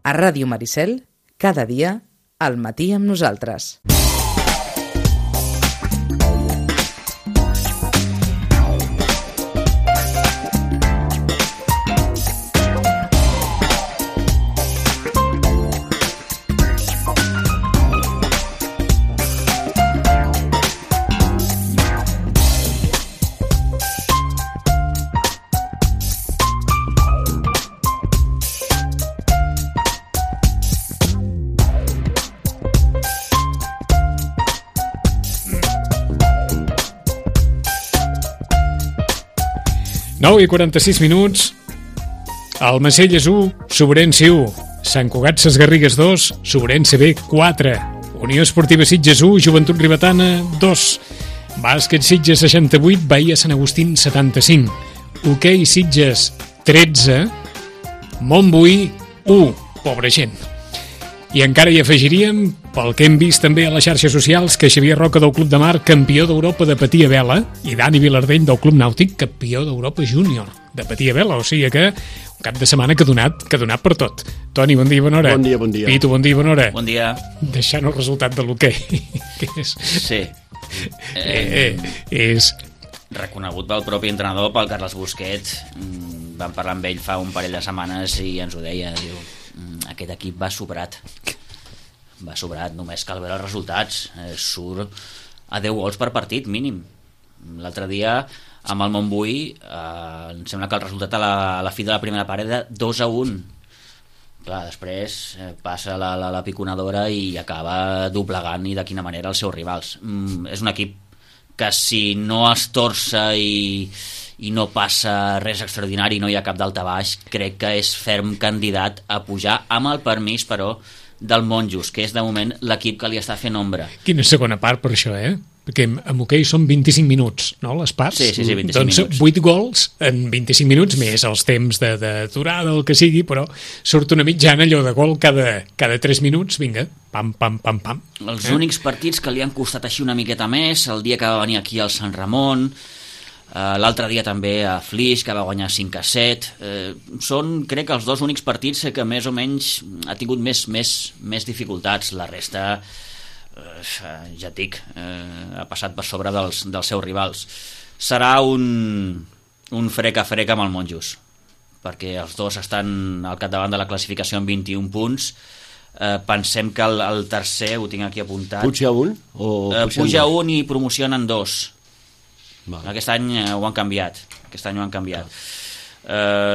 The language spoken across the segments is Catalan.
A Ràdio Maricel, cada dia, al matí amb nosaltres. I 46 minuts. El Macelles 1, Sobrense 1, Sant Cugat Sesgarrigues 2, Sobrense B 4, Unió Esportiva Sitges 1, Joventut Ribetana 2, Bàsquet Sitges 68, Bahia Sant Agustín 75, Hoquei Sitges 13, Montbui 1, pobra gent. I encara hi afegiríem, pel que hem vist també a les xarxes socials, que Xavier Roca del Club de Mar, campió d'Europa de patir a vela, i Dani Vilardell del Club Nàutic, campió d'Europa júnior de patir a vela. O sigui que un cap de setmana que ha donat per tot. Toni, bon dia, bona hora. Bon dia, bon dia. Pitu, bon dia, bona hora. Bon dia. Deixant el resultat de l'hoquei. Sí. És reconegut pel propi entrenador, pel Carles Busquets. Vam parlar amb ell fa un parell de setmanes i ens ho deia, diu, aquest equip va sobrat, només cal veure els resultats, surt a 10 gols per partit mínim. L'altre dia amb el Montbui em sembla que el resultat a la fi de la primera part era de 2-1. Clar, després passa la piconadora i acaba doblegant, i de quina manera, els seus rivals. És un equip que si no es torça i no passa res extraordinari, no hi ha cap daltabaix, crec que és ferm candidat a pujar, amb el permís, però, del Monjos, que és de moment l'equip que li està fent ombra. Quina segona part per això, Perquè amb hoquei són 25 minuts, no, les parts? Sí, 25 doncs minuts. 8 gols en 25 minuts, més els temps d'aturada, el que sigui, però surt una mitjana allò de gol cada 3 minuts, vinga, pam, pam, pam, pam. Els únics partits que li han costat així una miqueta més, el dia que va venir aquí al Sant Ramon, l'altre dia també a Flix, que va guanyar 5-7, són, crec que els dos únics partits que més o menys ha tingut més dificultats. La resta, ja et dic, ha passat per sobre dels seus rivals. Serà un frec a frec amb el Monjos, perquè els dos estan al capdavant de la classificació amb 21 punts. Pensem que el tercer, ho tinc aquí apuntat, puja un? Puja un i promocionen 2. Vale. Aquest any ho han canviat.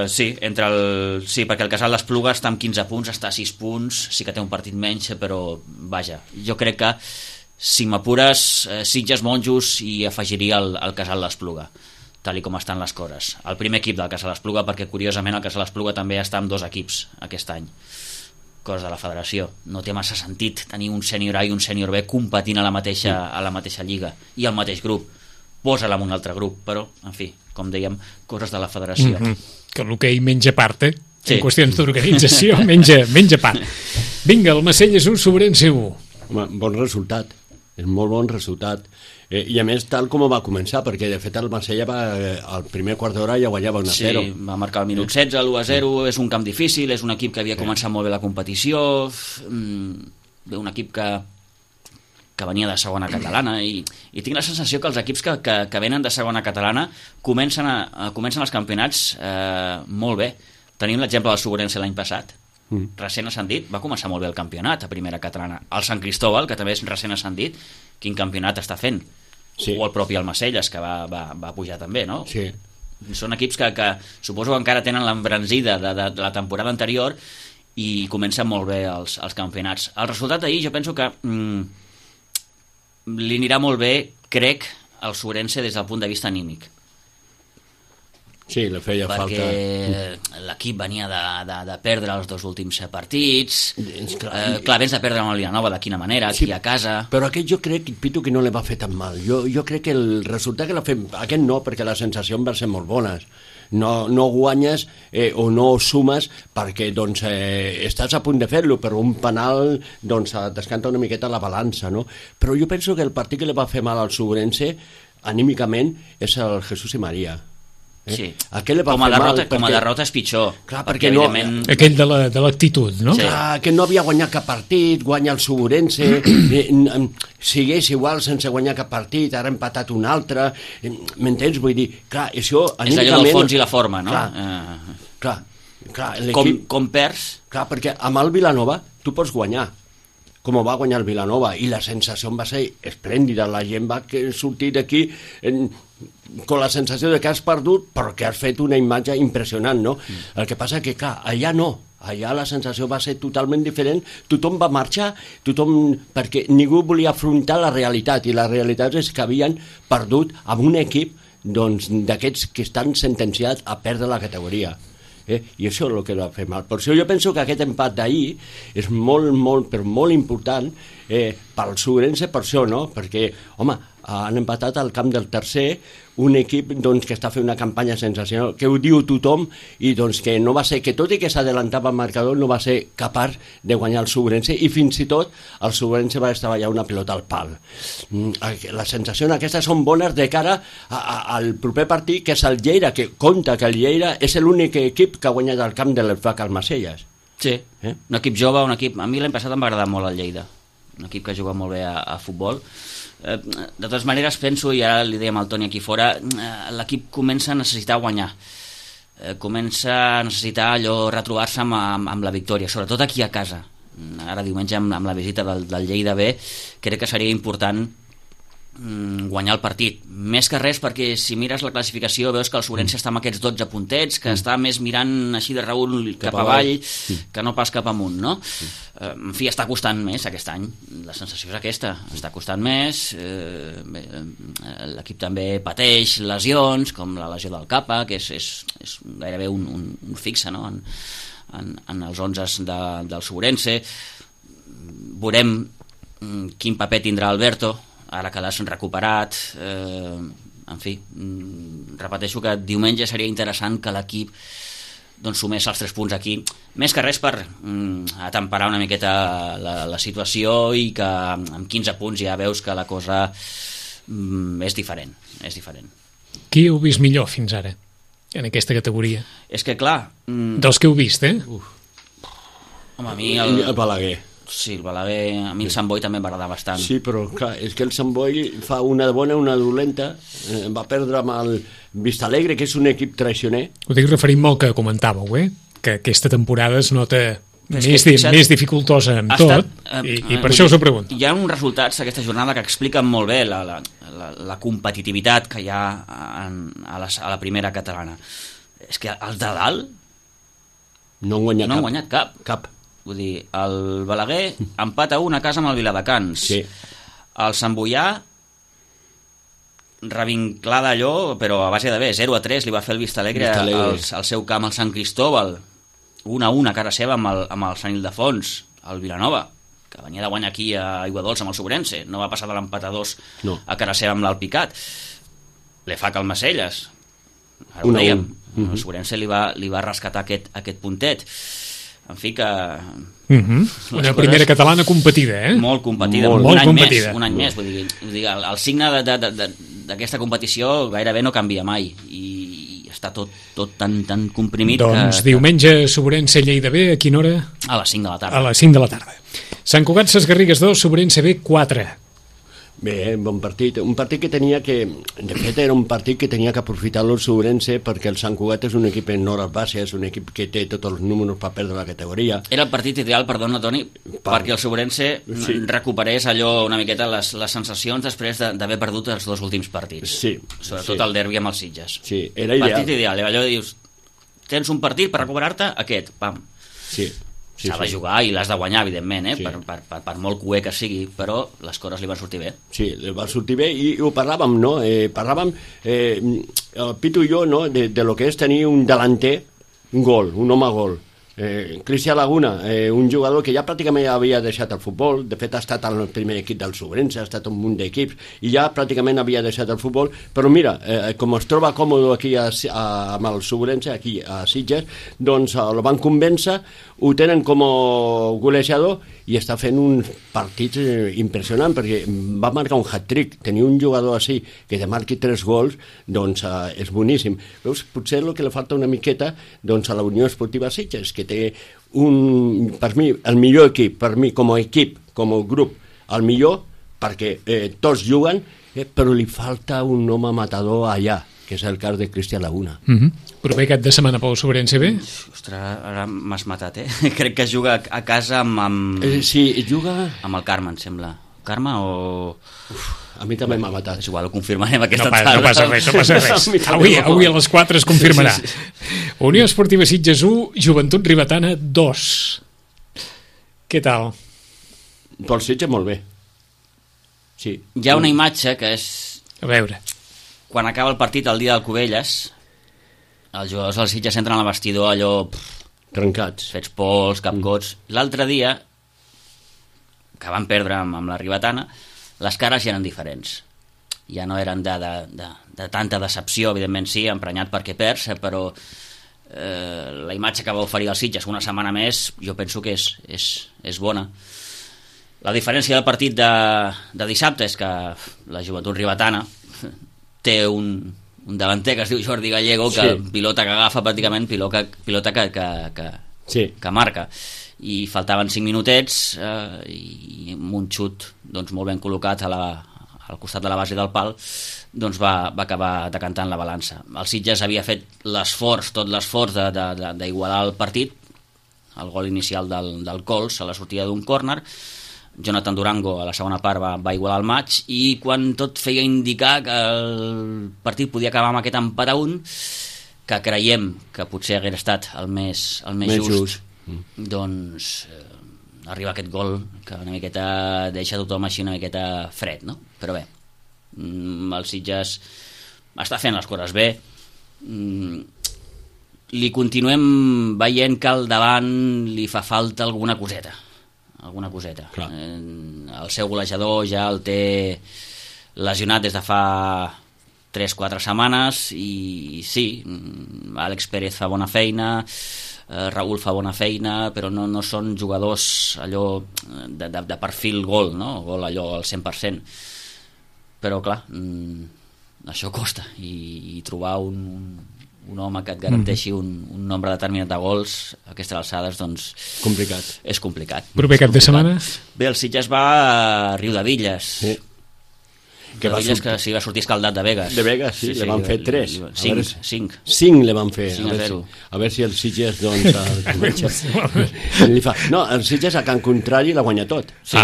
Sí, perquè el Casal d'Espluga està amb 15 punts, està a 6 punts, sí que té un partit menys, però vaja, jo crec que si m'apures, Sitges, Monjos, i afegiria el Casal d'Espluga, tal com estan les coses. El primer equip del Casal d'Espluga, perquè curiosament el Casal d'Espluga també està amb 2 equips aquest any. Cosa de la federació. No té massa sentit tenir un sènior A i un sènior B competint a la mateixa lliga i al mateix grup. Posa-la en un altre grup, però, en fi, com dèiem, coses de la federació. Que l'hoquei menja part, Sí. En qüestions d'organització, menja part. Vinga, el Macelles 1, Sobrense 1. Home, bon resultat, és molt bon resultat. I a més, tal com va començar, perquè de fet el Macella al primer quart d'hora ja guanyava 1-0. Sí, va marcar el minut 16, l'1-0, és un camp difícil, és un equip que havia començat molt bé la competició, un equip que venia de segona catalana, i tinc la sensació que els equips que venen de segona catalana comencen els campionats molt bé. Tenim l'exemple del Sobrense l'any passat, recent ascendit, va començar molt bé el campionat a primera catalana. El Sant Cristóbal, que també és recent ascendit, quin campionat està fent? Sí. O el propi Almacelles, que va pujar també, no? Sí. Són equips que suposo que encara tenen l'embranzida de la temporada anterior i comencen molt bé els campionats. El resultat d'ahir jo penso que li anirà molt bé, crec, al Sobrense des del punt de vista anímic. Sí, li feia falta. Perquè l'equip venia de perdre els 2 últims partits. Clar, vens de perdre amb el Vilanova, de quina manera, aquí a casa. Però aquest jo crec, Pitu, que no li va fer tan mal. Jo crec que el resultat que l'ha fet, aquest no, perquè les sensacions van ser molt bones. No guanyes o no sumes perquè estàs a punt de fer-lo, però un penal descanta una miqueta la balança, no? Però jo penso que el partit que li va fer mal al Sobrense anímicament és el Jesús i Maria. Sí. Aquell li va com a fer mal derrota, com a derrota és pitjor. Clar, perquè no... evidentment... Aquell de l'actitud, no? Sí. Clar, que no havia guanyat cap partit, guanya el Segurense, sigués igual sense guanyar cap partit, ara ha empatat un altre, m'entens? Vull dir, clar, això... És allò del fons i la forma, no? Clar, com perds... Clar, perquè amb el Vilanova tu pots guanyar, com ho va guanyar el Vilanova, i la sensació va ser esplèndida, la gent va sortir d'aquí amb la sensació de que has perdut però que has fet una imatge impressionant, no? El que passa que, clar, allà no, allà la sensació va ser totalment diferent, tothom va marxar, perquè ningú volia afrontar la realitat, i la realitat és que havien perdut amb un equip d'aquests que estan sentenciats a perdre la categoria. I això és el que va fer mal. Per això jo penso que aquest empat d'ahir és molt important pel Segurense, per això, no? Perquè, home, han empatat al camp del tercer, un equip que està fent una campanya sensacional, que ho diu tothom, i que no va ser, que tot i que s'adelantava al marcador, no va ser capaç de guanyar el Segurense, i fins i tot el Segurense va estavellar una pilota al pal. Les sensacions aquestes són bones de cara al proper partit, que és el Lleida, que compta que el Lleida és l'únic equip que ha guanyat el camp de l'Esfac al Macelles. Sí, un equip jove, un equip... A mi l'any passat em va agradar molt el Lleida, un equip que juga molt bé a futbol. De totes maneres penso, i ara li dèiem al Toni aquí fora, l'equip comença a necessitar guanyar, comença a necessitar allò retrobar-se amb la victòria, sobretot aquí a casa. Ara diumenge amb la visita del Lleida B crec que seria important guanyar el partit, més que res perquè si mires la classificació veus que el Segurense està amb aquests 12 puntets, que està més mirant així de reüll cap avall que no pas cap amunt, no? En fi, està costant més aquest any, la sensació és aquesta, està costant més, l'equip també pateix lesions com la lesió del Capa, que és gairebé un fixe, no? En els 11 del Segurense. Veurem quin paper tindrà Alberto ara que l'has recuperat, en fi, repeteixo que diumenge seria interessant que l'equip sumés els 3 punts aquí, més que res per atemperar una miqueta la situació, i que amb 15 punts ja veus que la cosa és diferent. Qui heu vist millor fins ara en aquesta categoria? És que clar... Dels que heu vist, Home, a mi el Balaguer. Sí, el Balaguer, a mi el Sant Boi també m'agrada bastant. Sí, però clar, és que el Sant Boi fa una bona, una dolenta, va perdre amb el Vistalegre, que és un equip traicioner. Ho dic referint-me al que comentàveu, que aquesta temporada es nota més dificultosa amb tot, i per això us ho pregunto. Hi ha uns resultats d'aquesta jornada que expliquen molt bé la competitivitat que hi ha a la primera catalana. És que els de dalt no han guanyat cap. Vull dir, el Balaguer empat a 1 a casa amb el Viladecans. Sí. El Sant Boià revinclada allò, però a base de bé, 0-3 li va fer el Vistalegre al seu camp al Sant Cristóbal, 1-1 a cara seva amb el Sant Ildefons. El Vilanova, que venia de guanyar aquí a Aiguadols amb el Segurense, no va passar de l'empat a 2 a cara seva amb l'Alpicat. Le fa que el Macelles, ara ho dèiem, el Segurense li va rescatar aquest puntet. En fi que... Una primera catalana competida, Molt competida, molt competida. Un any més, vull dir, el signe d'aquesta competició gairebé no canvia mai, i està tot tan comprimit. Doncs diumenge Segurense Lleida B, a quina hora? A les 5 de la tarda. A les 5 de la tarda. Sant Cugat Ses Garrigues 2, Segurense B 4. Bé, bon partit. Un partit que tenia que... De fet, era un partit que tenia que aprofitar-lo el Segurense, perquè el Sant Cugat és un equip en hores baixes, un equip que té tots els números per perdre la categoria. Era el partit ideal, perdona, Toni, perquè el Segurense recuperés allò una miqueta les sensacions després d'haver perdut els 2 últims partits. Sí. Sobretot el derbi amb els Sitges. Sí, era ideal. Partit ideal, allò dius, tens un partit per recuperar-te, aquest, pam. Sí. S'ha de jugar i l'has de guanyar, evidentment, per molt cué que sigui, però les coses li van sortir bé. Sí, li van sortir bé, i ho parlàvem, no? Parlàvem, el Pitu i jo, no?, de lo que és tenir un delanter, un home gol, Cristian Laguna, un jugador que ja pràcticament havia deixat el futbol, de fet ha estat al primer equip del Sobrense, ha estat un munt d'equips, i ja pràcticament havia deixat el futbol, però mira, com es troba còmode aquí amb el Sobrense, aquí a Sitges, doncs el van convèncer, ho tenen com a golejador i està fent uns partits impressionants, perquè va marcar un hat-trick. Tenir un jugador així que te marqui 3 gols, doncs és boníssim. Veus, potser el que li falta una miqueta doncs, a la Unió Esportiva Sitges, que té per mi, el millor equip, per mi, com a equip, com a grup, el millor, perquè tots juguen, però li falta un home matador allà, que és el cas de Cristian Laguna. Proper cap de setmana pel Sobrense B? Ostres, ara m'has matat, Crec que juga a casa amb... Sí, juga... Amb el Carme, em sembla. Carme o... A mi també m'ha matat. És igual, ho confirmarem aquesta tarda. No passa res. Avui a les 4 es confirmarà. Unió Esportiva Sitges 1, Joventut Ribetana 2. Què tal? Pel Sitges molt bé. Sí. Hi ha una imatge que és... A veure. Quan acaba el partit el dia del Cubelles, els jugadors del Sitges entren al vestidor allò... Trencats. Fets pols, capcots. L'altre dia, que van perdre amb la Ribetana, les cares ja eren diferents. Ja no eren de tanta decepció, evidentment sí, emprenyat perquè perds, però la imatge que va oferir el Sitges una setmana més, jo penso que és bona. La diferència del partit de dissabte és que la Joventut Ribetana té un davanter que es diu Jordi Gallego, que pilota que agafa pràcticament, pilota que marca. I faltaven 5 minutets i amb un xut doncs, molt ben col·locat al costat de la base del pal, doncs va acabar decantant la balança. El Sitges havia fet tot l'esforç d'igualar el partit, el gol inicial del Cols a la sortida d'un córner. Jonathan Durango a la segona part va igualar el maig, i quan tot feia indicar que el partit podia acabar amb aquest empat a 1, que creiem que potser hagués estat el més just. Doncs arriba aquest gol que una miqueta deixa tothom així una miqueta fred, no? Però bé, el Sitges està fent les coses bé, li continuem veient que al davant li fa falta alguna coseta. El seu golejador ja el té lesionat des de fa 3-4 setmanes, i sí, Àlex Pérez fa bona feina, Raúl fa bona feina, però no són jugadors allò de perfil gol, no? Gol allò al 100%. Però clar, això costa, i trobar un home que et garanteixi un nombre determinat de gols a aquestes alçades, doncs... És complicat. Proper cap de setmana? Bé, el Sitges va a Riudevilles. Sí. Que va sortir escaldat de Vegas. De Vegas, sí, le van fer 3. 5. 5 le van fer. 5-0. A veure si el Sitges, doncs... No, el Sitges a Can Contrari l'ha guanyat tot. Sí.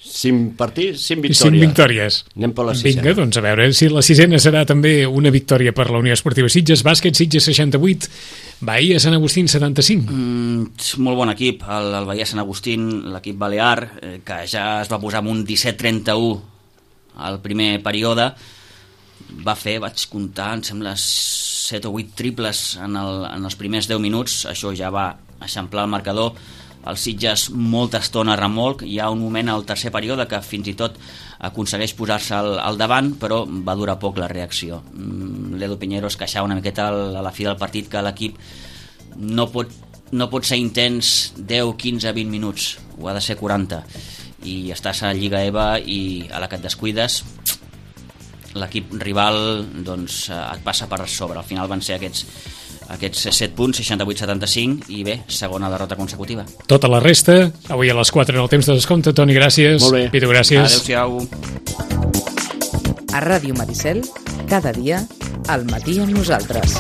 5 partits, 5 victòries. 5 victòries. Anem per la 6ena. Vinga, doncs a veure si la 6ena serà també una victòria per la Unió Esportiva Sitges. Bàsquet Sitges 68, Bahia Sant Agustín 75. Molt bon equip, el Bahia Sant Agustín, l'equip balear, que ja es va posar amb un 17-31 al primer període. Vaig comptar, em sembla, 7 o 8 triples en els primers 10 minuts. Això ja va eixamplar el marcador. El Sitges molta estona remolc, hi ha un moment al tercer període que fins i tot aconsegueix posar-se al davant, però va durar poc la reacció. L'Edu Piñero es queixava una miqueta a la fi del partit que l'equip no pot ser intens 10, 15, 20 minuts, ho ha de ser 40, i estàs a Lliga EVA i a la que et descuides l'equip rival doncs, et passa per sobre. Al final van ser aquests 7 punts, 68-75, i bé, segona derrota consecutiva. Tota la resta, avui a les 4 en el temps de descompte. Toni, gràcies. Molt bé. Pitu, gràcies. Adéu-siau. A Ràdio Maricel, cada dia, al matí amb nosaltres.